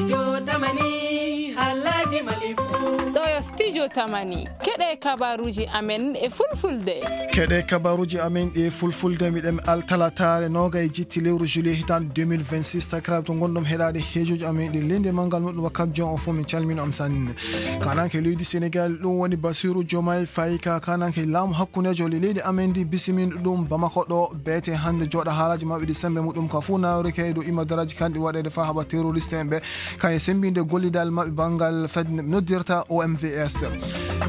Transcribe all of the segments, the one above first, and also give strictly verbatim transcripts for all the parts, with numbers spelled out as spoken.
Jotamani, Alhaji Malifu. Ɗo yo Studio Tamani. Keɗe kabaruji amen e fulfulde. Keɗe kabaruji amen ɗe fulfulde, miɗen altalataare nogay jitti lewru juillet hitande deux mille vingt-six. Sakiraaɓe to ngonɗon heɗaade heejoji amen ɗi leydi e manngal muɗum wakkat jon o fof, min calmino am sanne. Kananke leydi Sénégal, ɗum woni Bassirou Diomaye Faye ka kananke laamu hakkundejo le leydi amen ndi, bisimin ɗum Bamako ɗo, beete hannde jooɗa haalaji maɓɓe ɗi sembe muɗum ka fuu nawri kay dow imadaraji kanɗi waɗeede faa haɓa terroriste en ɓe. Kañum e semmbinde gollidal maɓɓe banngal fedde nde ɓe noddirta O M V S.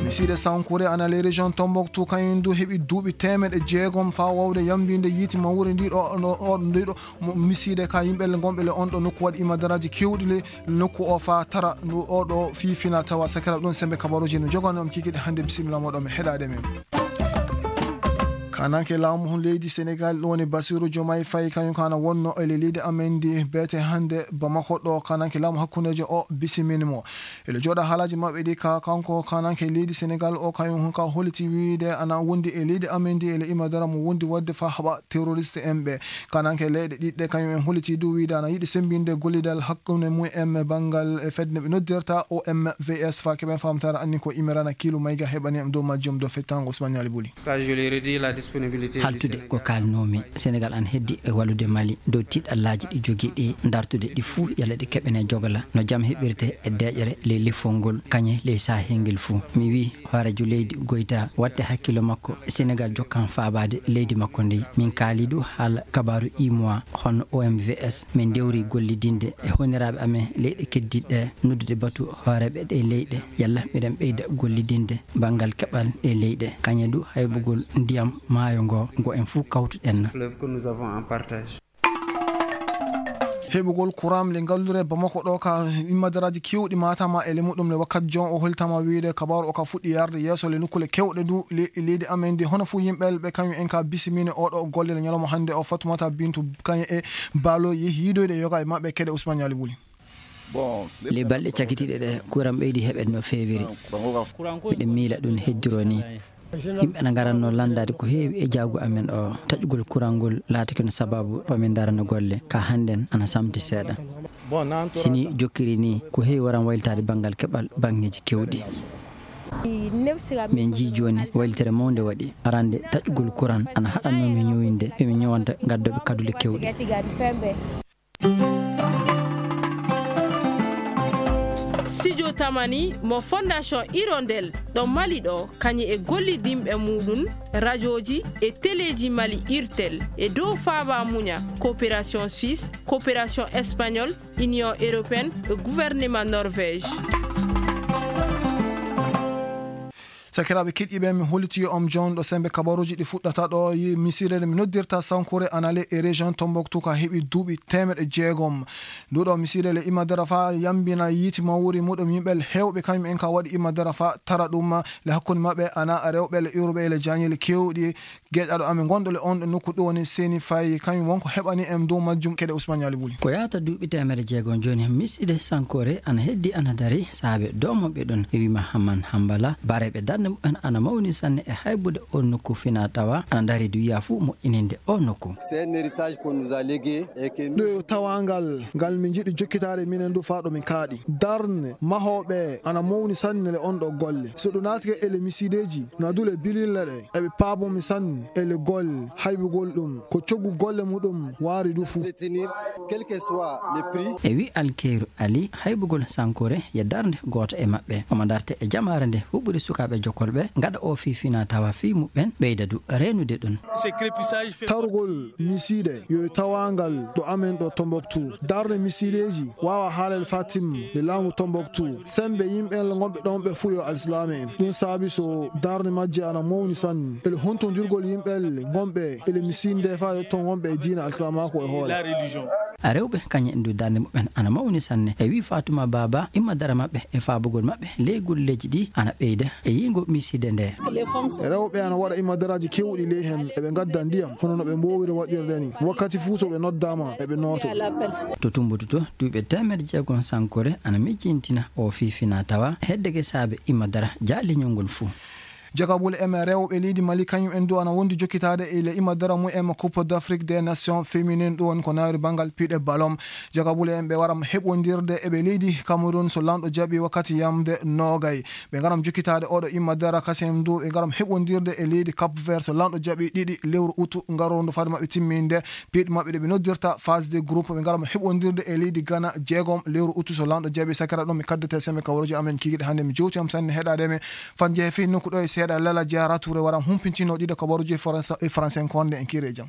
Misiide Sankore ana ley région Tombouctou, kañum du heɓi duuɓi teemeɗe jeegom faa waawde yammbinde yiiti mawri ndi ɗo, ɗo, ɗo, ndi ɗo mo-, misiide ka yimɓe le ngonɓe le on ɗo nokku waɗi imadaraaji keewɗi le nokku o faa tara ndu o ɗo fii fina tawa. Sakiraaɓe, ɗum sembe kabaruuji no jogani on kikiɗe hannde. Bisimilla moɗon, mi heɗaade men. Kananke laamu leydi Sénégal, ɗum woni Bassirou Diomaye Faye, kañum kana wonno e leydi amen ndi beete hannde Bamako ɗo. Kananke laamu hakkundejo o bisimini mo. Ele jooɗa haalaji maɓɓe ɗi ka kanko kananke leydi Sénégal o, kañum ka holiti wiide ana wondi e leydi amen ndi ele imadara mo wondi wadde fa haɓa terroriste en ɓe. Kananke leyɗe ɗiɗɗe kañum en holiti du wiide ana yiɗi sembinde gollidal hakkunde mum en banngal e fedde nde ɓe noddirta O M V S fa keɓen famtara anni ko imirana kiilu mayga heɓani am dow majjum dow fettango Ousmane Ali Buli. Haltude ko kaalnoomi, Senegaal ana heddi e wallude Mali dow tiiɗallaaji ɗi jogii ɗi, dartude ɗi fuu, yalla ɗi keɓene jogla no jam heɓirte e deeƴere ley lefol ngol, kañe ley sahel ngel fuu. Mi wiyi hooreejo leydi Goyta waɗte hakkillo makko, Senegaal jokkan faabaade leydi makko ndi. Min kaali du haala kabaaru UEMOA, hono O M V S, min ndewri gollidinde e hoyniraaɓe amen leyɗe keddiiɗe ɗe, noddude batu hooreeɓe ɗe leyɗe, yalla miɗen ɓeyda gollidinde banngal keɓal e leyɗe, kañe du haybugol ndiyam maayo ngo, ngo en fuu kawtuɗen. Fleuve que nous avons en partage. Heɓugol kuram le ngallure Bamako ɗo ka immadaraaji kewɗi matama e le muɗum le wakkat jon o holtama wiide kabaaru o ka fuɗɗi yarde yeeso le nukkule kewɗe du le-, leydi amen ndi, hono fuu yimɓe ɓe kañum en ka bisimini oɗo golle le ñalawma hannde o. Fatumata Bintu kañe e Balo yehi yiidoyde yoga e maɓɓe keɗe Ousmane Ñaali Wuli. Ley balɗe cakitiiɗe ɗe, kuran ɓeydi heɓeede no feewiri. Miɗen miila ɗum heddoroo nii. Yimɓe ana ngaratnoo lanndaade ko heewi e jaagu amen o. Taƴugol kuran ngol laatike no sabaabu ko min ndarana golle. Ka hannden ana samti seeɗa. Si nii jokkiri nii, ko heewi waran waylitaade banngal keɓal baŋŋeeji keewɗi. Min njii jooni waylitere mawnde waɗi. Arande, taƴugol kuran ana haɗannoo min ñoowinde, ɓe min ñoowanta gaddooɓe kadule keewɗe. Studio Tamani mo Fondation Hirondelle ɗo Mali ɗo, kañum e gollidinɓe muɗum, rajooji e teleeji Mali, Irtel, e dow faaba muña, coopération suisse, coopération espagnole, Union européenne e gouvernement Norvège. Sakiraaɓe keɗiiɓe, mi holiti on jonɗo sembe kabaruuji ɗi fuɗɗata ɗo, yi misire nde mi noddirta Sankore Anale e région Tombouctou ka heɓi duuɓi teemeɗe jeegom. Ndu ɗo misire le imadara fa yambina yiiti mawri muɗum yimɓe heewɓe kañum en ka waɗi imadara fa tara ɗum le hakkunde maɓɓe ana rewɓe le iwruɓe le jañeele keewɗi. Geeƴaɗo amen gonɗo le on ɗo nokku ɗo woni Seni Faye, kañum wonko heɓani en dow majjum keɗe Ousmane Ñaali Buli. Ko yahata duuɓi teemedde jeegom jooni, misiide Sankore ana heddi ana dari, saabe doomooɓe ɗon e wima Hamman Hambala, bareeɓe darnde mumen ana mawni sanne e haybude o nokku fina tawa ana dari du wiya fuu moƴƴininde o nokku. C'est un héritage qu'on nous a légué et que nous... Ɗo yo tawangal ngal min njiɗi jokkitaade minen du faa ɗo min kaaɗi. Darnde mahooɓe ana mawni sanne le on ɗo golle. So ɗum naatike e le misiideeji, na dule bilille ɗe, eɓe paabomi sanne e le golle, haybugol ɗum, ko coggu golle muɗum waari du fuu. Retenir, quel que soit le prix. E wi Alkeyru Ali, haybugol Sankore ye darnde gooto e maɓɓe. Omo darte e jamaare nde huɓɓude sukaaɓe jokkolɓe, ngaɗa o fii fina tawa fii muɓɓen, ɓeyda du reenude ɗum. Tarugol misiide yo tawangal ɗo amen ɗo Tombouctou. Darnde misiideeji waawa haalal Fatim le laamu Tombouctou. Sembe yimɓe gonɓe ɗon ɓe fuu yo alsilaame en. Ɗum saabi so darnde majje ana mawni sanne. Ele hontondirgol yimɓe gonɓe ele misiide nde faa yotto gonɓe e diina alsilaamaaku e hoore. Rewɓe kañum en du darnde muɓɓen ana mawni sanne. E wi Fatuma Baba, imma dara maɓɓe e faabugol maɓɓe ley golleeji ɗi ana ɓeyda e yiingo misiide nde. Rewɓe ana waɗa imadaraaji keewɗi ley heen, eɓe ngadda ndiyam, hono no ɓe mboowiri waɗirde ni. Wakkati fuu so ɓe noddaama, eɓe nooto. To Tumbutu to, duuɓi teemedde jeegom Sankore ana mijjintina o fii fina tawa, heddeke saabe imadara jaaliñol ngol fuu. Jagabule M rewɓe leydi Mali kañum en du ana wondi jokkitaade e le imadara mu M Coupe d'Afrique des Nations féminine, ɗum woni ko nawri banngal piɗe ballon. Jagabule en ɓe waram heɓondirde e ɓe leydi Cameroun so lanɗo jaɓi wakkati yamde nogay. Ɓe ngaram jokkitaade oɗo imadara kasem du ɓe ngaram heɓondirde e leydi Cap Vert so lanɗo jaɓi ɗiɗi lewru utu ngarondo fade maɓɓe timminde piɗe maɓɓe ɗe ɓe noddirta phase de groupe. Ɓe ngaram heɓondirde e leydi Ghana jeegom lewru utu so lanɗo jaɓi. Sakira ɗum mi kaddete seme ka waroji amen kigiɗe hannde mi jowti am sanne heɗade me fan jehe fii nokku ɗo e seeɗa lala jara toure waram humpintino ɗiɗo ka waroji e français konde en kiri e jam.